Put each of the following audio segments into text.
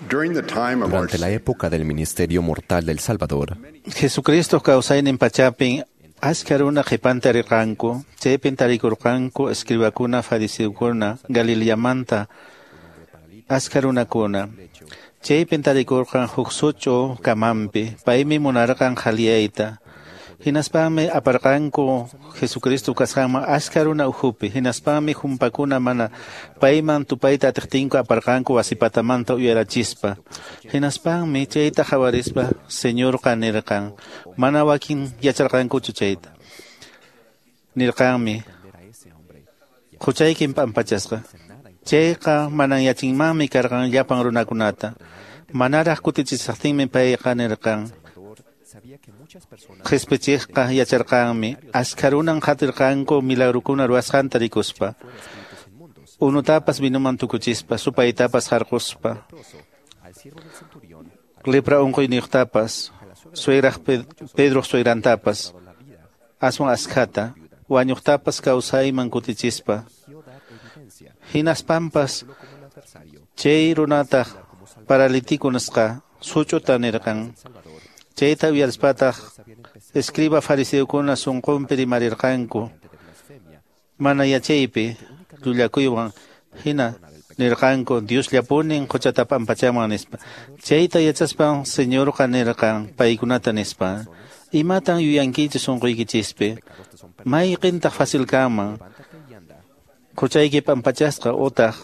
Durante la época del ministerio mortal del Salvador, Jesucristo kawsaynin pachapin achka runa qhipanta rirqanku, chaypin tarikurqanku escribakuna, fariseokuna, Galileamanta achka runakuna. Chaypin tarikurqan huk such'u kamanpi, paymi munarqan qhaliyayta. Hinaspanmi aparqanku Jesucristo kasqanman achka runa ukhupi. Hinaspanmi humpakuna mana payman tupayta atiqtinku aparqanku wasipatamanta uyarachispa. Hinaspanmi chayta qhawarispa Señorqa nirqan, mana wakin yacharqankuchu chayta. Nirqanmi, huchaykin p'ampachasqa. Chayqa manan yachinmanmi karqan llapan runakunata. Manaraq kutichisaqtinmi payqa nirqan, Qhispichiqqa yacharqanmi, achka runan qatirqanku milagrukuna ruwasqanta rikuspa, unutapas vinuman tukuchispa, supaytapas harquspa, lepra unquyniyuqtapas, suegraq Pedroq suegrantapas, aswan askhata, wañuqtapas kawsayman kutichispa. Hinaspampas chay runataq paralítico nisqa such'uta nirqan. Chayta uyarispataq escriba fariseokuna sunqunpi rimarirqanku, mana yachaypi llullakuywan hina nirqanku Diosllapunin quchata p'ampachaman nispa. Chayta yachaspan Señorqa nirqan paykunata nispa, imatan yuyankichis sunquykichispi, mayqintaq fácil kanman, quchayki p'ampachasqa utaq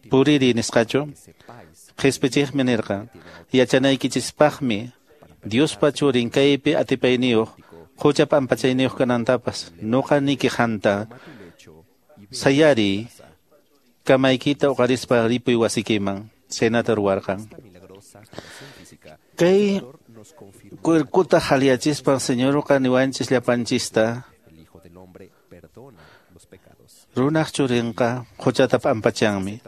puriri nisqachu? Qhispichiqmi nirqan, yachanaykichispaqmi Diospa churin kaypi atipayniyuq qucha p'ampachayniyuq kanantapas nuqa niki qanta sayariy kamaykita uqarispa ripuy wasikiman. Chaynata ruwarqan. Kay cuerkuta qhaliyachispan Señorqa niwanchis llapanchista, runaq churinqa quchata p'ampachanmi.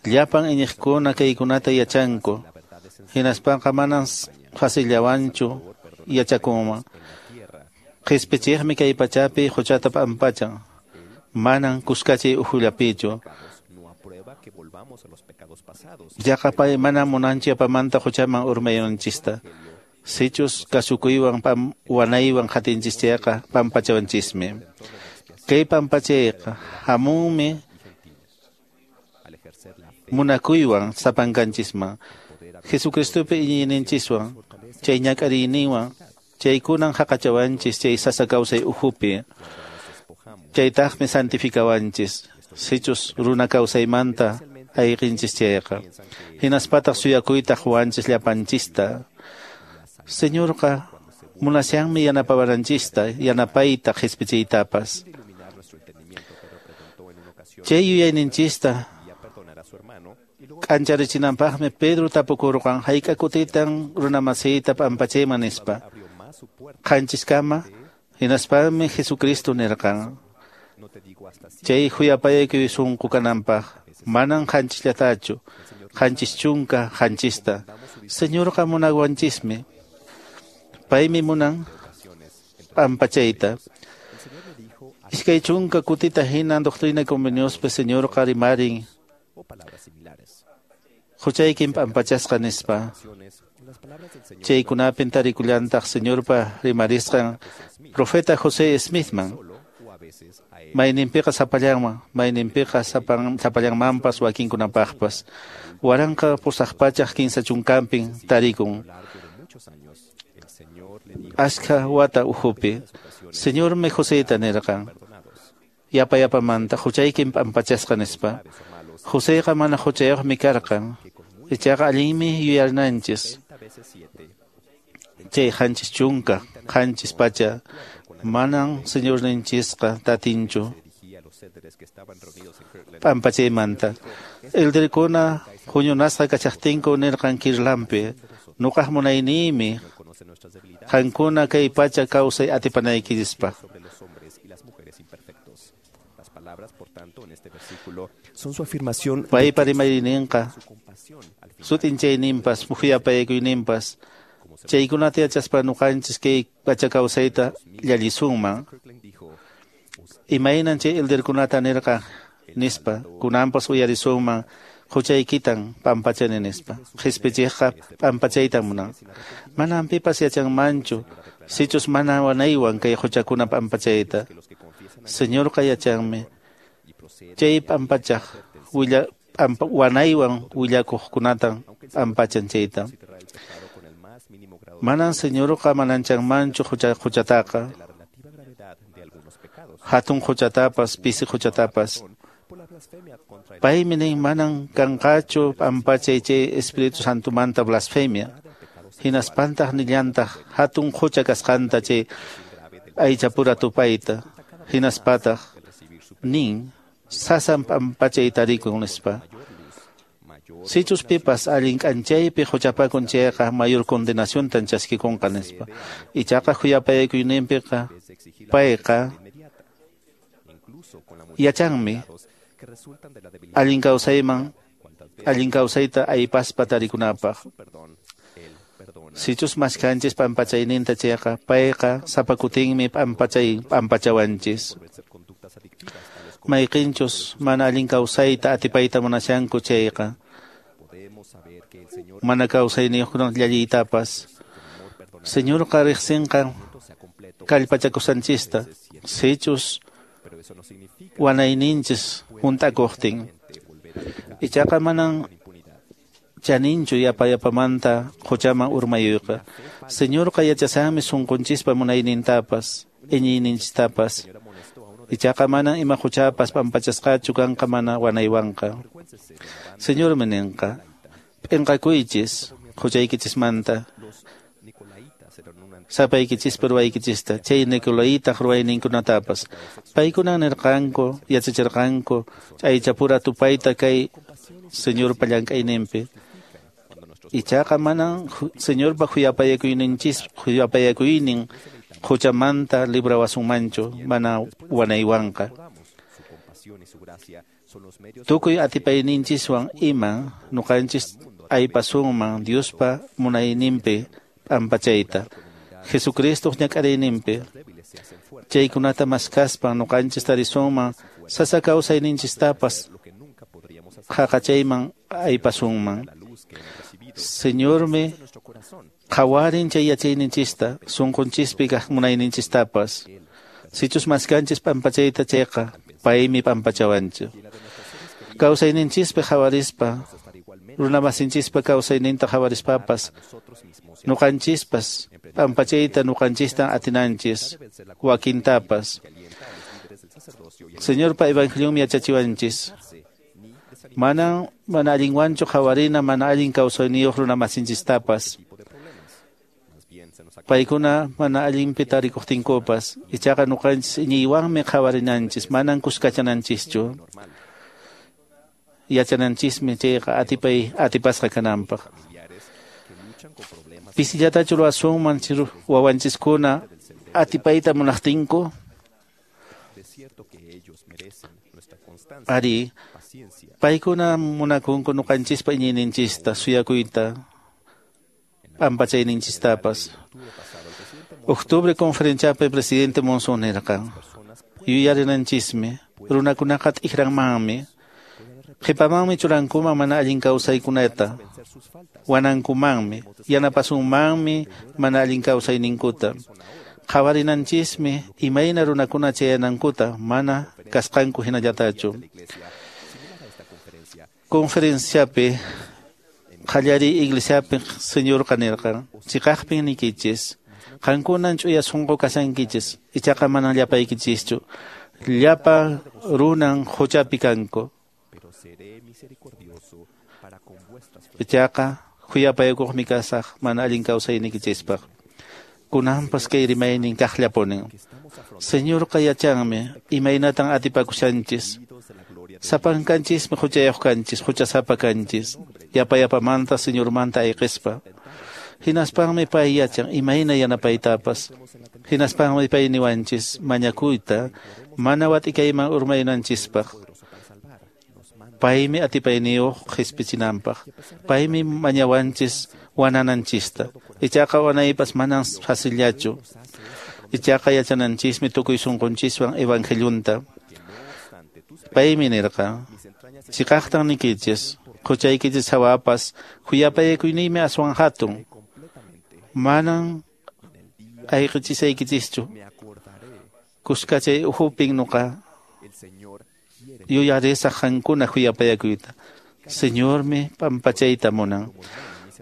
Llapan iñiqkuna kaykunata yachanku, hinaspanqa manan facillawanchu yachakunman. Qhispichiqmi kay pachapi quchata p'ampachan, manan kuskachiy ukhullapichu. Yaqa pay mana munanchu yapamanta quchaman urmayunanchista. Sichus kasukuywan wanaywan qatinchis chayqa p'ampachawanchismi. Kay p'ampachayqa hamunmi munakuywan sapankanchisman, Jesucristopi iñiyninchiswan, chay ñak'ariyninwan, chaykunan haqachawanchis chay sasa kawsay ukhupi. Chaytaqmi santifikawanchis, sichus runa kawsaymanta ayqinchis chayqa. Hinaspataq suyakuyta quwanchis llapanchista. Señorqa munashanmi yanapawananchista, yanapayta qhispichiytapas. Chay yuyayninchista k'ancharichinanpaqmi Pedro tapukurqan, hayk'a kutitan runamasiyta p'ampachayman nispa. Qanchiskama, hinaspanmi Jesucristo nirqan, chay khuyapayaykuy sunqu kananpaq, manan qanchishllatachu, qanchis chunka qanchista. Señorqa munawanchismi, paymi munan p'ampachayta. Iskay chunka kutita hinan Doctrina y Conveniospi Señorqa rimarin, huchaykin p'ampachasqa nispa. Chaykunapin tarikullantaq Señorpa rimarisqan profeta José Smithman. Mayninpiqa sapallanman, mayninpiqa sapallanmanpas wakinkunapaqpas. 1830 tarikun achka wata ukhupi. Señormi Joseta nirqan, yapa yapamanta huchaykin p'ampachasqa nispa. Joseqa mana huchayuqmi karqan, ichaqa allinmi yuyarinanchis. Chay qanchis chunka, qanchis pacha, manan Señorninchisqa tatinchu p'ampachaymanta. Elderkuna huñunasqa kachaqtinku nirqan Kirlanpi, nuqaq munayniymi qankuna kay pacha kawsay atipanaykichispaq. Paypa rimayninqa sut'inchayninpas mukhuyapayakuyninpas chaykunata yachaspa nuqanchis kay pacha kawsayta llallisunman. Imaynan chay elderkunata nirqa nispa kunanpas uyarisunman Huchaykitan pampachani nispa. Qhispichiqqa pampachaytan munan. Manan pipas yachanmanchu sichus mana wanaywan kay huchakuna pampachayta. Señorqa yachanmi chay pampachaq wanaywan willakuqkunatan pampachan chayta. Manan Señorqa mananchanmanchu huchataqa. Hatun huchatapas, pisi huchatapas. Paymi nin manan kanqachu pampachay chay Espíritu Santomanta blasfemia. Hinaspantaq nillantaq hatun hucha kasqanta chay aychapura tupayta. Hinaspataq nin sasan pampachay tarikun nispa. Sichus pipas allin k'anchaypi huchapakun chayqa mayor condenaciontan chaskikunqa nispa. Ichaqa khuyapayakuyninpiqa payqa yachanmi allin kawsayman allin kawsayta aypaspa tarikunapaq. Sichus maskanchis pampachayninta chayqa payqa sapakutinmi pampachawanchis. Mayqinchus mana allin kawsayta atipayta munashanku chayqa mana kawsayniyuqkuna llalliytapas. Señorqa riqsinqa kallpachakusanchista sichus wanayninchis hunt'akuqtin. Ichaqa manan chaninchu yapa yapamanta huchaman urmayuyqa. Señorqa yachasanmi sunqunchispa munaynintapas, iñiyninchistapas. Ichaqa manan ima huchapas pampachasqachu kanqa mana wanaywanqa. Señormi ninqa, p'inqakuychis huchaykichismanta, sapaykichispa ruwaykichista, chay Nicolaitaq ruwayninkunatapas. Paykunan nirqanku, yachachirqanku, aychapura tupayta kay Señorpa llank'ayninpi. Ichaqa manan Señorpa khuyapayakuynin huchamanta librawasunmanchu mana wanaywanqa. Tukuy atipayninchiswan ima nuqanchis aypasunman Diospa munayninpi pampachayta. Jesucristo ñak'ariyninpi chaykunata maskaspa nuqanchis tarisunman sasa kawsayninchistapas qhaqachayman aypasunman. Señormi qhawarin chay yachayninchista sunqunchispi kaq munayninchistapas. Sichus maskanchis pampachayta chayqa paymi pampachawanchik. Kawsayninchispi qhawarispa runamasinchispa kawsayninta qhawarispapas nuqanchispas pampachayta nuqanchistan atinanchis wakintapas. Señorpa evangelionmi yachachiwanchis. Manan mana allinwanchu qhawarina mana allin kawsayniyuq runamasinchistapas. Paykuna mana allinpi tarikuqtinkupas ichaqa nuqanchis iñiywanmi qhawarinanchis manan kuskachananchischu. Yachananchismi chayqa atipasqa kananpaq. Pisillatachu ruwasunman wawanchiskuna atipayta munaqtinku? Ari, paykuna munakunku nuqanchispa iñiyninchista, suyakuyta, pampachayninchistapas. Octubre conferenciapi presidente Monson nirqan, yuyarinanchismi, runakunaqa t'ikranmanmi, qhipamanmi churankuman mana allin kawsaykunata, wanankumanmi, yanapasunmanmi mana allin kawsayninkuta. Qhawarinanchismi imayna runakuna chayanankuta mana kasqanku hinallatachu. Conferenciapi qallariy iglesiapi Señorqa nirqan, chiqaqpin niykichis, qankunan ch'uya sunqu kashankichis, ichaqa manan llapaykichischu, llapa runan huchapi kanku. Ichaqa khuyapayakuqmi kasaq mana allin kawsaynikichispaq. Kunanpas kay rimaynin kaqllapunin. Señorqa yachanmi imaynatan atipakushanchis. Sapankanchismi huchayuq kanchis, huchasapa kanchis. Yapa yapamanta Señormanta ayqispa. Hinaspanmi pay yachan imayna yanapaytapas. Hinaspanmi pay niwanchis mañakuyta mana watikayman urmaynanchispaq. Paymi atipayniyuq qispichinanpaq. Paymi mañawanchis wanananchista. Ichaqa wanaypas manan facillachu. Ichaqa yachananchismi tukuy sunqunchiswan evangeliunta. Paymi nirqa, chiqaqtan nikichis, Huchaykichis hawapas khuyapayakuyniymi aswan hatun. Manan ayqichishaykichischu. Kuskachay uhupin nuqa yuyarisaq qankuna khuyapayakuyta. Señormi pampachayta munan.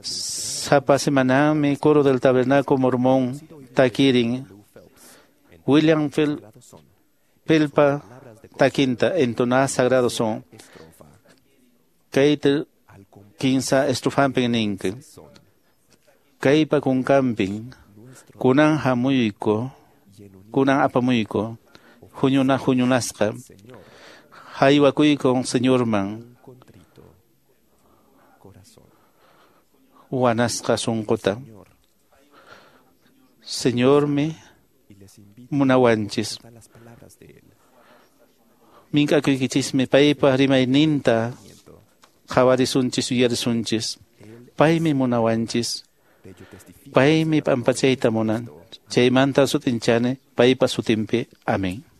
Sapa semananmi coro del Tabernáculo Mormón takirin William Felpa takinta entoná sagrado son. Kayta kinsa estrofampin ninki. Kaypa kunkampin kunan hamuyko, kunan apamuyko, huñuna huñunasqa, haywakuyko Señorman, wanasqa sunquta. Señormi munawanchis. Mink'akuykichismi paypa rimayninta qhawarisunchis yuyarisunchis. Paymi munawanchis. Paymi p'ampachayta munan. Chaymanta sut'inchani paypa sutinpi. Amén.